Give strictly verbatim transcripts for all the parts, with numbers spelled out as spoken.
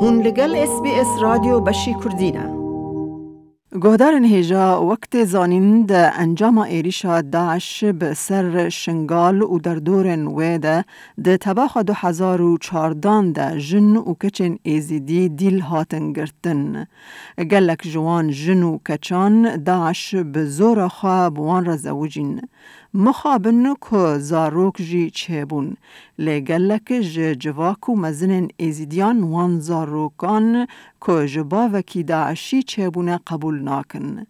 Hûn li gel S B S Radyo Beşî Kurdî ne. Guhdarên hêja, wek tê zanîn, di encama êrîşa DAIŞ bi ser Şingal û derdorên wê de di tebaxa du hezar û çardan de jin û keçên Êzîdî dîl hatin girtin. Gelek ji wan jin û keçan DAIŞ bi zora xwe bi wan re zewicîn. Mixabin ku zarok jî çêbûn. Lê gelek ji civak û mezinên Êzîdiyan wan zarokan ku ji bavekî DAIŞî çêbûne qebûl nakin.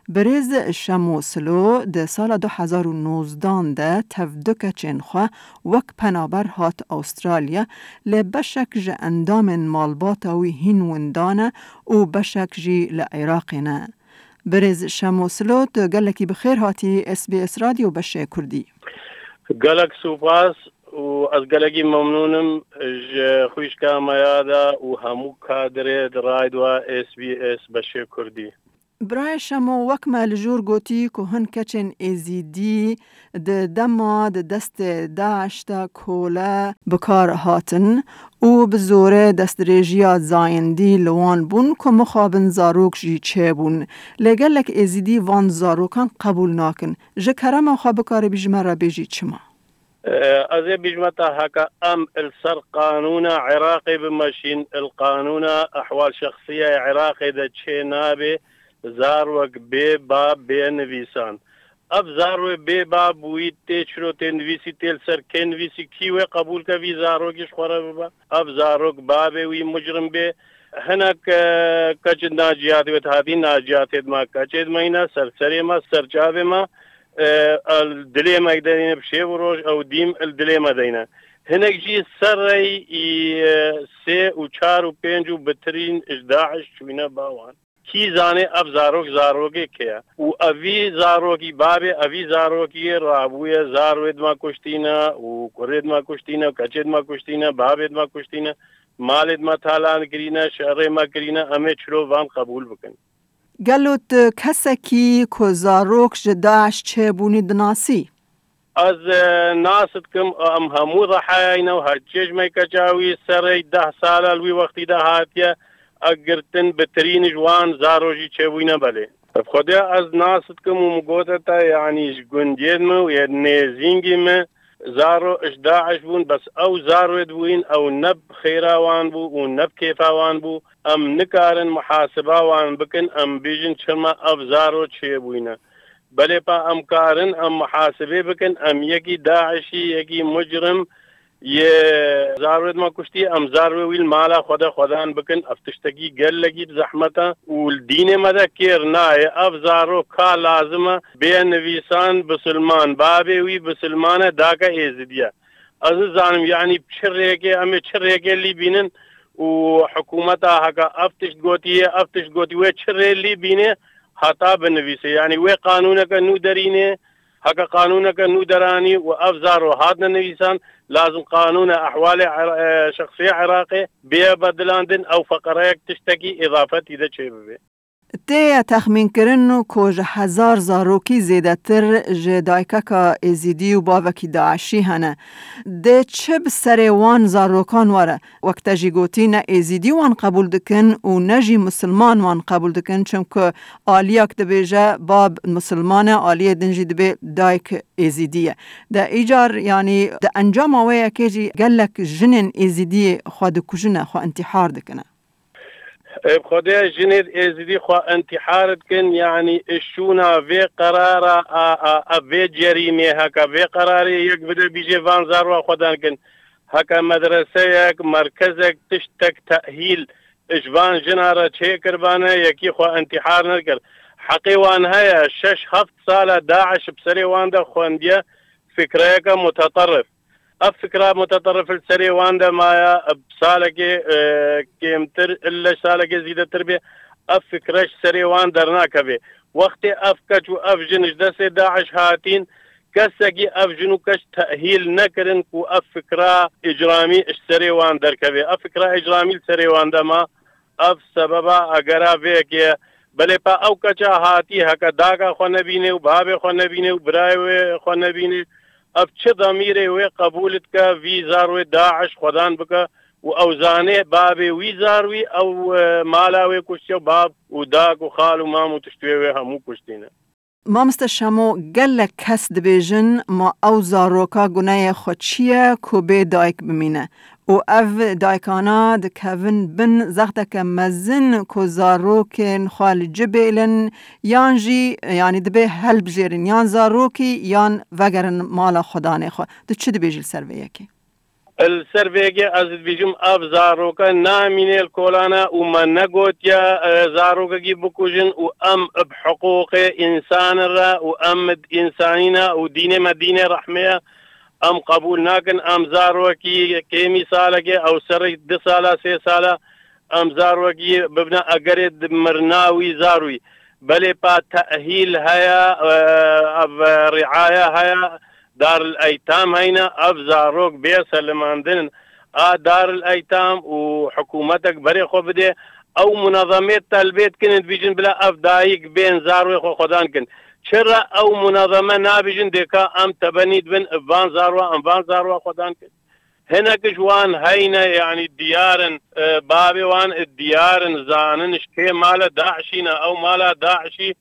Birêz Şemo Silo di sala du hezar û nozdan de tev du keçên xwe wek penaber hat Awustralya, lê beşek ji endamên malbata wî hîn winda ne û beşek jî li Iraqê ne. Birêz Şemo Silo, tu gelekî bi xêr hatî S B S Radyo Beşê Kurdî. Gelek spas û ez gelekî memnûn im ji xwişka me ya de û hemû kadirê di raydwa S B S Beşê Kurdî. Birayê Şemo, wek me li jor gotî ku hin keçên Êzîdî di dema di destê DAIŞ de kole bi kar hatin û bi zorê destdirêjiya zayendî li wan bûn ku mixabin zarok jî çêbûn. Lê gelek Êzîdî van zarokan qebûl nakin. Ji kerema xwe bikaribî ji me re bêjî çima? Ez ê bijme te heke em il ser qanûna Iraqê bimeşîn, il qanûna ehwal şexsiya Iraqê de çê nabe zarwek bê bab bê nivîsan. Ev zarwê bê bab wî tê çiro tê nivîsî, tê li ser kê nivîsî, kî wê qebûl ke vî zarokî ji xwe re bibe? Ev zarok babê wî mucrim bê. Hinek, e, keç naciyatê wê hatî, naciyatê dima keçê dime yîne, ser serê me, ser çavê me, e, el dilê me deyne bi şev û roj, ew dîm el dilê me deyne. Hinek jî serrey î, e, sê û çar û pênc û bitirîn ji DAIŞ çûyne ba wan. Kî zanê ev zarok zarokê kê ye? Û evî zarokî, babê evî zarokî rabûye, zarwê dima kuştîne û kurê dima kuştîne û keçê dima kuştîne, babê dima kuştîne, malê dima talan kirîne, şerê me kirîne, em ê çiro van qebûl bikin? Gelo tu kesekî ku zarok ji DAIŞ çêbûnî dinasî? Ez, e, nas dikim, em hemû dehayayne û her çê ji me keça wî serê deh sala li wî wextî de hatiye, e, girtin, bitirîn ji wan zaro jî çêbûyne belê. Bi Xwedê ez nas dikim û min gote te, yanî ji gundiyên min û yê nêzîngî min zaro ji DAIŞ bûn, bes ew zaroê dibûyîn, ew ne bi xêra wan bû û ne bi kêfa wan bû. Em nikarin muhasiba wan bikin, em bêjin çima ev zaro çêbûyne. Belê pa em karin, em muhasibê bikin, em yekî DAIŞî, yekî mucrim yê zarwê dima kuştî, em zarwê wî li mala xwe de xwedan bikin. Ev tiştekî gelekî bi zehmet e û li dînê me de kêr nayê. Ev zaro ka lazim e bê nivîsan bisilman, babê wî bisilman e, dake êzidî ye. Ez nizanim, yanî bi çi rêkê, em ê çi rêkê lî bînin û hikûmeta heke ev tişt gotiye, ev tişt gotiye, wê çi rê lî bîne heta binivîse. Yanî wê qanûneke nû derîne, heke qanûneke nû deranî û ev zaro hatine nivîsan, lazim qanûna ehwalê Ira-, e, şexsiyê Iraqê bê bedilandin, ew feqereyek tiştekî îdafetî de çêbibe. Tê ye texmînkirin ku ji hezar zarokî zêdetir ji dayikeka Êzîdî û bavekî DAIŞî hene. Dê çi bi serê wan zarokan were? Wek te jî gotî, ne Êzîdî wan qebûl dikin û ne jî misilman wan qebûl dikin, çimku aliyak dibêje bab misilman e, aliyê din jî dibê dayik Êzîdî ye. De îcar, yanî di encama wê yekê jî gelek jinên Êzîdî xwe dikujine, xwe intîhar dikine. Ê, bi Xwedê jinê Êzidî xwe intîhar dikin, yanî şûna vê qerara a, a, a vê cerîmê heke vê qerarê yek bide bîjê van zarwa xwe dan kin. Heke medreseyek, merkezek, tiştek tehîl ji van jina re çêkiribane, yekî xwe intîhar nekir. Heqê wan heye, şeş heft sala DAIŞ bi serê wan de xwendiye fikreyeke muteterif. Ev fikra muteterif li serê wan de maye, bi salekê, e, kêmtir, ille ji salekê zîdetir bê, ev fikre ji serê wan dernakeve. Wextê ev keç û ev jin ji destê DAIŞ hatîn, kesekî ev jin û keç tehîl nekirin ku ev fikra îcramî ji serê wan derkeve. Ev fikra îcramî li serê wan de ma, ev sebeba egera vê yekê ye. Belê pa ew keça hatî, heke daka xwe nebîne û babê xwe nebîne û birayê wê xwe nebîne, ev çi demîrê wê qebûl dike vî zarwê DAIŞ xwedan bike û ew zanê bavê wî zar wî ew, e, mala wê kuştiye û bav û dak û xal û mam û tiştê wê hemû kuştîne. Mamoste Şemo, gelek kes dibêjin, ma ew zaroka guneyê xwe çi ye ku bê dayik bimîne? Û ev dayikana dikevin bin zexteke mezin ku zarokên xwe li cibêlin, yan jî, yanî dibê helbijêrin, yan zarokî, yan vegerin mala xwedanê xwe. Tu çi dibêjî li ser vê yekê? Li ser vê yekê ez dibêjim, ev zaroke namîne li kolana û me negotiye, e, zarokekî bikujin û em bi hiqûqê însan re û em di însanî ne û dînê me dînê rehmê ye. Em qebûl nakin, em zarokî kêmî salekê, ew serê du sala, sê sala, em zarokî bibine egerê di mirina wî zar wî. Belê pa tehîl heye, e, ev riaya heye, Darul Eytam heyne, ev zarok bê selimandin a Darul Eytam û hikûmetek berê xwe bidê. Ew munezemê telbê dikin, dibêjin bila ev dayik bên zarwê xwe xwedan kin. Çira ew munezeme nabêjin dêka em tebenî dibin, van zarwa, em van zarwa xwedan kin? Hinek ji wan heyne, yanî diyar in, e, bavê wan diyar in, zanin ji kê male DAIŞî ne. Ew mala DAIŞî,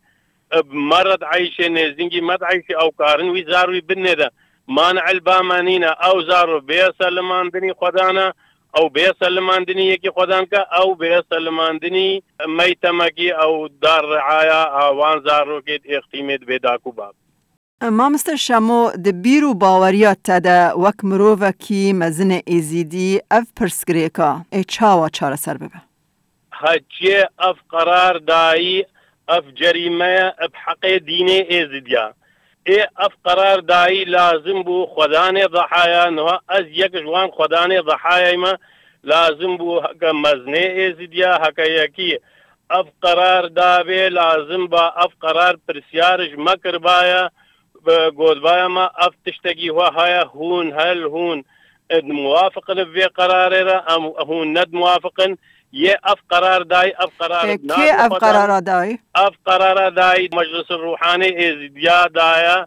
e, bi me re dieyşê, nêzdîngî me dieyşê, ew karin wî zar wî binê de. Man'il ba me nîne, ew zaro bê selimandinî xwedan e, ew bê selimandinî yekî xwedan ke, ew bê selimandinî meytemekî, ew dar riaya a wan zarokê di êxtîmê dibê dakû bab. Mamoste Şemo, di bîr û baweriya te de wek mirovekî mezinê Êzîdî ev pirsgirêka ê çawa çareser bibe? Heciyê ev qerar dayî, ev cerîme ye bi heqê dînê Êzîdiya. Ê ev qerar dayî lazim bû xwedanê dehaya, niha ez yek ji wan xwedanê dehayayî me, lazim bû heke mezinê Êzîdiya, heke yekî ev qerar dabê, lazim ba ev qerar pirsyar ji me kiribaya, bi gotbaya me ev tiştekî we heye, hûn hel hûn, e, muwafiq in vê qerarê re, em hûn ne muwafiq in, yê ev qerar dayî, ev qerar E, kê ev qerara dayî? Ev qerara dayî Meclis Ruhanê Êzidiya daye,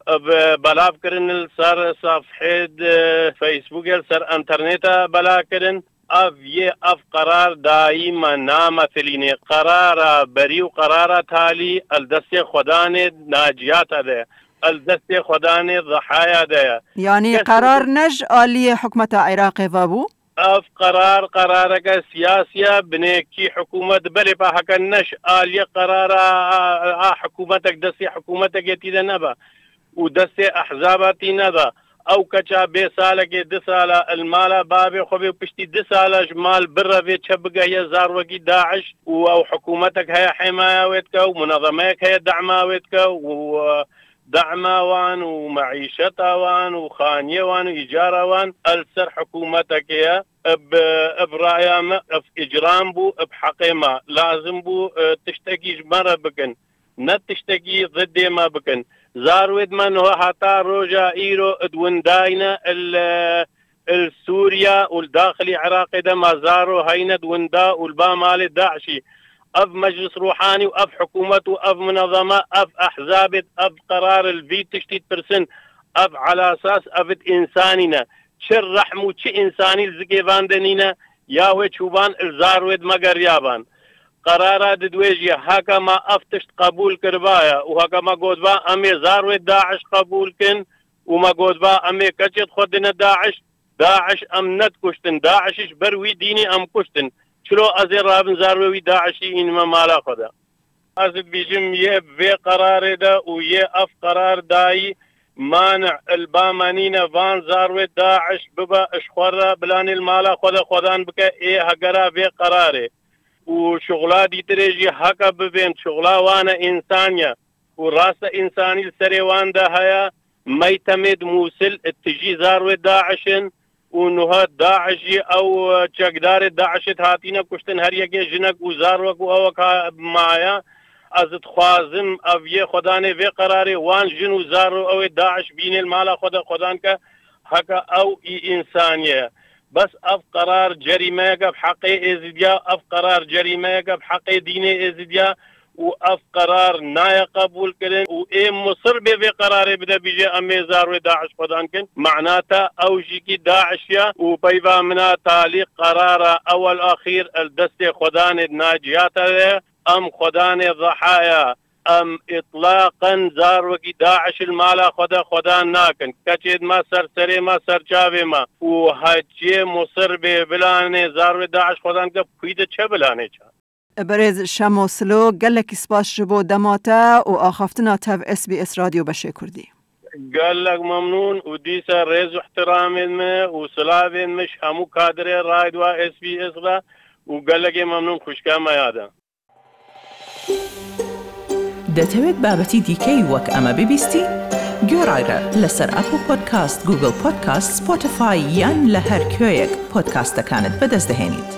e, bi belav kirin li ser sefhê di Facebookê, li ser interneta bela kirin. Ev yê ev qerar dayî me nametilînê. Qerara berî û qerara talî el destê Xwedanê Naciyata de, el destê Xwedanê Zehaya de ye. Yanî Kes qerar ne ji aliyê hikûmeta Iraqê ve bû? Ev qerar, qerareke siyasî ye, binêkî hikûmet belê pa heke ne ji aliyê qerara a, a hikûmetek, destê hikûmetekê tî de nebe û destê ehzaba tî nebe. Ew keça bê salekê, du sala li mala bavê xwe bê û piştî du sala ji mal birevê çe bigehiye zarwekî DAIŞ û ew hikûmetek heye hêmaya wê dike û munezemeyek heye dema wê dike û, e, dema wan û meîşeta wan û xaniyê wan û îcara wan el ser hikûmetekê ye. Bi, bi raya me, ev îcram bû, bi heqê me. Lazim bû, e, tiştekî ji me re bikin. Ne tiştekî zidê me bikin. Zarwêd me niha heta roja îro di windayne il, il Sûriya û li daxilî Iraqê de ma zaro heyne di winda û li ba malê DAIŞî. Ev meclis ruhanî û ev hikûmet û ev munezeme, ev ehzabêd, ev qerar li vî tiştî dipirsin. Ev elasas, ev id însanî ne. Çi rehm û çi însanî li zikê van de nîne, ya wê çûban li zarwêd me geriyaban. Qerara di dwê jî heke me ev tişt qebûl kiribaya û heke me gotba em ê zarwê DAIŞ qebûl kin û me gotba em ê keçêd xwe dine DAIŞ, DAIŞ em nedikuştin, DAIŞ ji ber wî dînî em kuştin. Çilo ez ê rabin zarwê wî DAIŞî înime mala xwe de? Ez dibêjim yê vê qerarê de û yê ev qerar dayî mani li ba me nîne van zarwê DAIŞ bibe ji xwe re bilanê li mala xwe de xwedan bike ê hegera vê qerarê. Û şuxla dîtirê jî heke bibên, şuxla wan e, însan ye. Û raste însanî li serê wan de heye, meytemê di Mûsil tijî zarwê DAIŞ in û niha DAIŞ jî ew çekdarê DAIŞê hatîne kuştin, her yekê jinek û zarwek û ewek ha-, maye. Ez dixwazim ev yê xwedanê vê qerarê wan jin û zaro ew ê DAIŞ bînê li mala xwe de xwedan ke heke ew î însanî ye. Bes ev qerar cerîmeyeke bi heqê Êzidiya, ev qerar cerîmeyeke bi heqê dînê Êzidiya û ev qerar naye qebûl kirin û ê Misir bê vê qerarê bide bîje em ê zarwê DAIŞ xwedan kin. Mehna te ew jîkî DAIŞ ya û peyva min a talî qerara ewel axîr el destê xwedanê di na ciya te de ye. Em xwedanê Zehaya, em îtlaqen zarwekî DAIŞ li mala xwe de xwedan nakin. Keçê di me ser serê me ser çavê me û heciyê Misir bê bilanê zarwê DAIŞ xwedan ke pûyî de çe bilanê çe. Berêz Şemo Silo, gelekî spas ji bo dema te û axaftina te bi S B S Radyo Beşê Kurdî. Gelek memnûn û dîsa rêz û ihtiramên me û silavên me ji hemû kadrê Radyoa S B S re û gelekê memnûn xwişka me ya de. دەتەوێت بابەتی دیکەی وەک ئەمە ببیستی؟ گوێڕایرە لەسەر ئەپڵ پۆدکاست، گوگڵ پۆدکاست، سپۆتیفای یان لە هەر کوێیەک پۆدکاستەکانت بەدەست دەهێنیت.